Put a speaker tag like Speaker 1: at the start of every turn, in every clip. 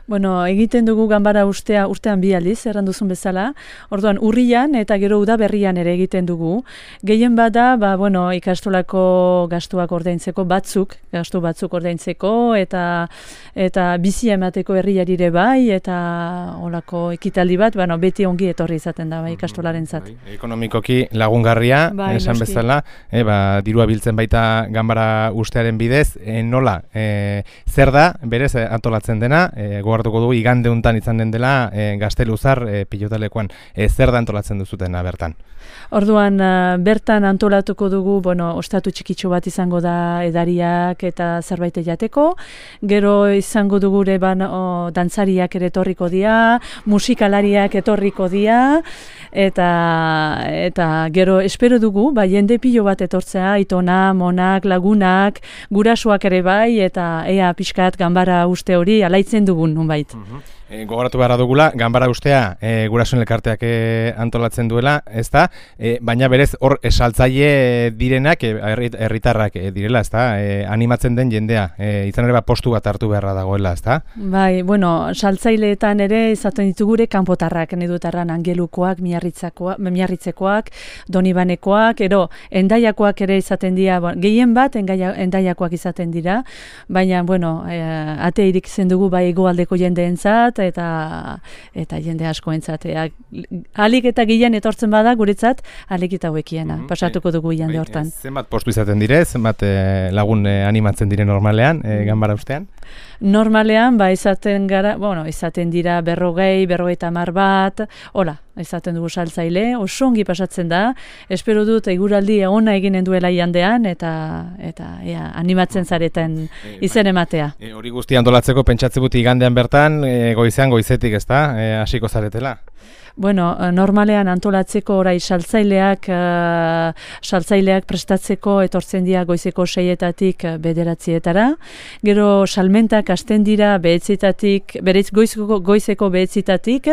Speaker 1: Bueno, egiten dugu ganbara urtean 2 aldiz, erranduzun bezala. Orduan, urrian eta gero udaberrian ere egiten dugu. Gehien bada, ikastolako gastuak ordaintzeko gastu batzuk ordaintzeko eta bizi emateko herriarire bai eta olako ekitaldi bat, beti ongi etorri izaten da ikastolarentzat.
Speaker 2: Ekonomikoki lagungarria, esan bezala, dirua biltzen baita ganbara ustearen bidez, nola, zer da, berez antolatzen dena, gogoratuko dugu igande hontan izan den dela Gazteluzar pilotalekuan, zer da antolatzen duzutena bertan?
Speaker 1: Orduan, bertan antolatuko dugu, ostatu txikitxo bat izango da edariak eta zerbait jateko, gero izango dugu ere dantzariak ere etorriko dira, musikalariak etorriko dira, eta gero espero dugu, jende pilo bat etortzea, aitona, monak, lagunak, gurasoak ere bai, eta ea pixkat ganbara uste hori alaitzen dugun nonbait.
Speaker 2: Gogoratu beharra dugula, ganbara ustea gurasoen elkarteak antolatzen duela, ezta? Baina berez hor saltzaile direnak herritarrak direla, ezta? Animatzen den jendea, izan ere postu bat hartu beharra dagoela, ezta?
Speaker 1: Bai, saltzaileetan ere izaten ditugure kanpotarrak, nedutarran Angelukoak, Miarritzekoak, Donibanekoak, Endaiakoak ere izaten dira, gehien bat Endaiakoak izaten dira, baina, ate irik zendugu hegoaldeko jendeentzat, eta jende askoentzat. Alik eta gehien etortzen bada, guretzat, alik eta hauekiena, pasatuko dugu jende hortan.
Speaker 2: Zenbat postu izaten dire, zenbat lagun animatzen dire normalean, ganbara ustean?
Speaker 1: Normalean, izaten dira 40, 50 bat, izaten dugu saltzaile, oso ongi pasatzen da, espero dut eguraldi ona eginen duela jandean, eta animatzen zareten izen ematea.
Speaker 2: Hori guzti antolatzeko pentsatzen dut igandean bertan, goizetik, ezta, hasiko zaretela?
Speaker 1: Normalean antolatzeko orai saltzaileak prestatzeko etortzen dira goizeko 6-etatik 9-etara. Gero salmentak hasten dira goizeko 9-etatik,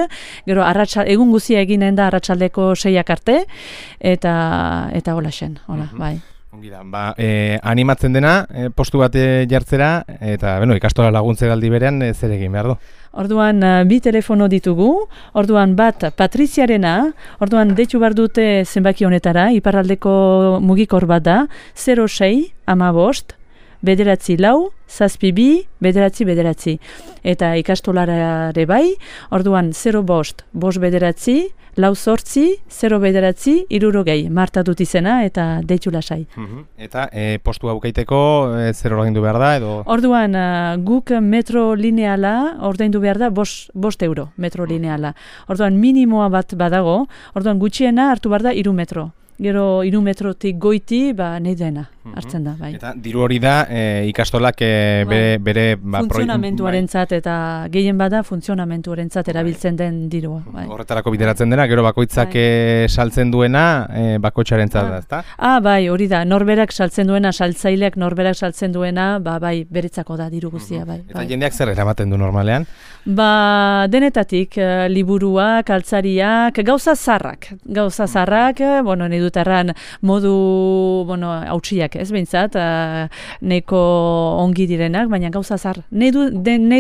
Speaker 1: gero egun guzia eginen da arratsaldeko 6-ak arte, eta hola xen, bai.
Speaker 2: Animatzen dena, postu bat jartzera, eta ikastola laguntzera aldi berean zer egin behar du?
Speaker 1: Orduan, 2 telefono ditugu, orduan bat Patriziarena, orduan deitu behar dute zenbaki honetara, iparraldeko mugikor bat da, 06 15 9 4 7 9 eta ikastolarare bai, orduan 05 5 9 4 8 0 9 60 Marta dut izena eta deitu lasai.
Speaker 2: Eta postu aukeiteko zer ordaindu behar da edo?
Speaker 1: Orduan guk metro lineala ordaindu behar da 5 euro metro lineala. Orduan minimoa bat badago, orduan gutxiena hartu behar da 3 metro. Gero 3 metrotik goiti, nahi dena, hartzen da, bai.
Speaker 2: Eta diru hori da ikastolak bere...
Speaker 1: Funtzionamentuarentzat eta gehien bada funtzionamentuarentzat erabiltzen den dirua.
Speaker 2: Horretarako bideratzen dena, gero bakoitzak saltzen duena bakoitzarentzat da, ezta?
Speaker 1: Bai, hori da, norberak saltzen duena, saltzaileak norberak saltzen duena, bai, beretzako da diru guztia, bai.
Speaker 2: Eta jendeak zer eramaten du normalean?
Speaker 1: Denetatik, liburuak, altzariak, gauza zarrak, nahi dutarran modu, hautsiak ez behintzat, neko ongi direnak, baina gauza zar, nahi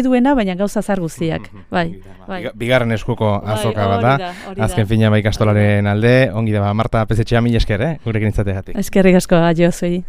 Speaker 1: duena, baina gauza zar guztiak, bai.
Speaker 2: Bigarren eskuko azoka bat da, azken fina ikastolaren alde, ongi da, Marta Pezetxea, mila esker, gurekin izateagatik.
Speaker 1: Eskerrik asko, adio zuei.